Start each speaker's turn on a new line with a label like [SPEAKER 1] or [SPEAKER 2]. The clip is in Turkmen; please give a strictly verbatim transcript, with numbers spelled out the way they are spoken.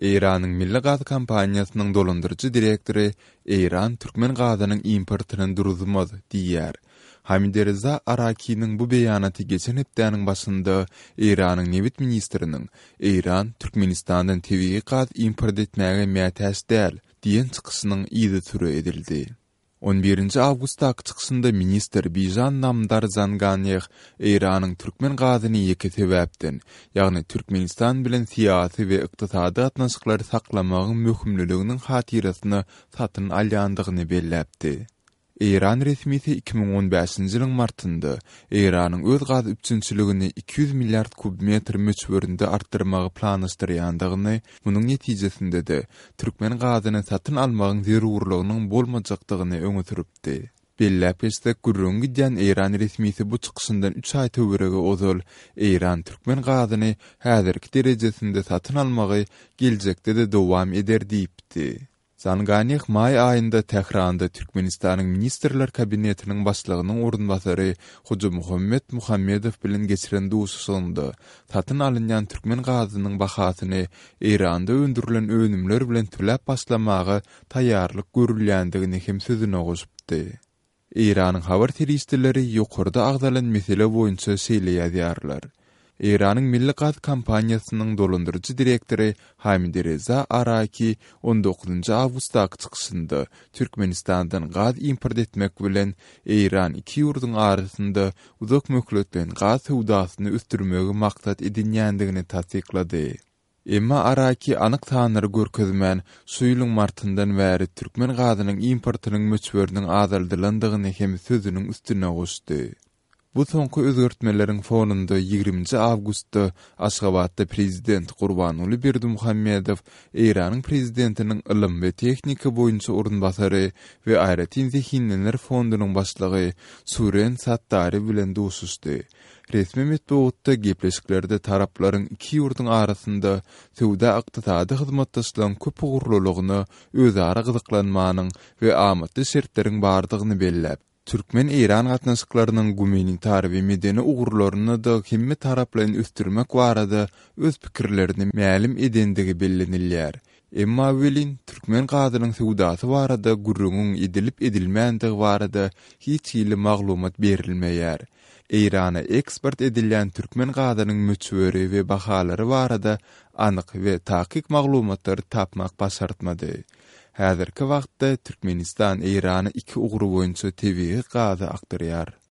[SPEAKER 1] Eýranyň Milli gaz kompaniýasynyň dolandyryjy direktory Eýran türkmen gazynyň importyny duruzmaz diýýär. Hamidreza Arakiniň bu beýanaty geçen hepdäniň başynda Eýranyň nebit ministriniň Eýran Türkmenistandan tebigy gaz import etmäge mätäç däl diýen çykyşynyň yzysüre edildi. On birinji awgustdaky çykyşynda ministr Bijan Namdar Zanganeh Eýranyň türkmen gazyny ýeke sebäpden, ýagny Türkmenistan bilen syýasy we ykdysady gatnaşyklary saklamagyň möhümliliginiň hatyrasyna satyn alýandygyny belläpdi. Eýran resmisi iki müň on bäşinji ýylyň martynda Eýranyň öz gaz üpjünçiligini iki ýüz milliard kubmetr möçberinde artdyrmagy planlaşdyrýandygyny, munuň netijesinde-de türkmen gazyny satyn almagyň zerurlygynyň bolmajakdygyny öňe sürüpdi. Belläp geçsek, gürrüňi gidýän Eýran resmisi bu çykyşyndan üç aý töweregi ozal Eýran türkmen gazyny häzirki derejesinde satyn almagy geljekde-de dowam eder diýipdi. Zanganeh maý aýynda Tähranda Türkmenistanyň Ministrler Kabinetiniň başlygynyň orunbasary Hojamuhammet Muhammedow bilen geçiren duşuşygynda satyn alynýan türkmen gazynyň bahasyny Eýranda öndürilen önümler bilen töläp başlamaga taýýarlyk görülýändigini hem sözüne goşupdy. Eýranyň habar serişdeleri ýokarda agzalan mesele boýunça şeýle ýazýarlar. Eýranyň Milli gaz kompaniýasynyň dolandyryjy direktory Hamidreza Araki on dokuzynjy awgustdaky çykyşynda Türkmenistandan gaz import etmek bilen Eýran iki ýurduň arasynda uzak möhletleýin gaz söwdasyny ösdürmegi maksat edinýändigini tassyklady. Emma Araki anyk sanlary görkezmän, şu ýylyň martyndan bäri türkmen gazynyň importynyň möçberiniň azaldylandygyny hem sözüniň üstüne goşdy. Bu soňky özgertmeleriň fonunda ýigriminji awgustda Aşgabatda prezident Gurbanguly Berdimuhamedow Eýranyň prezidentiniň ylym we tehnika boýunça orunbasary we aýratyn zehinliler fondunyň başlygy Suren Sattari bilen duşuşdy. Resmi metbugatda gepleşiklerde taraplaryň iki ýurduň arasynda söwda-ykdysady hyzmatdaşlygyň köpugurlylygyna özara gyzyklanmanyň we amatly şertleriň bardygyny belläp, Türkmen-Eýran gatnaşyklarynyň gumanitar we medeni ugurlaryny-da hemme taraplaýyn ösdürmek barada öz pikirlerini mälim edendigi bellenilýär. Emma welin türkmen gazynyň söwdasy barada gürrüňiň edilip edilmändigi barada hiç hili maglumat berilmeýär. Eýrana eksport edilýän türkmen gazynyň möçberi we bahalary barada anyk we takyk maglumatlary tapmak başartmady. Häzirki wagtda Türkmenistan Eýrana iki ugry boýunça tebigy gazy akdyrýar.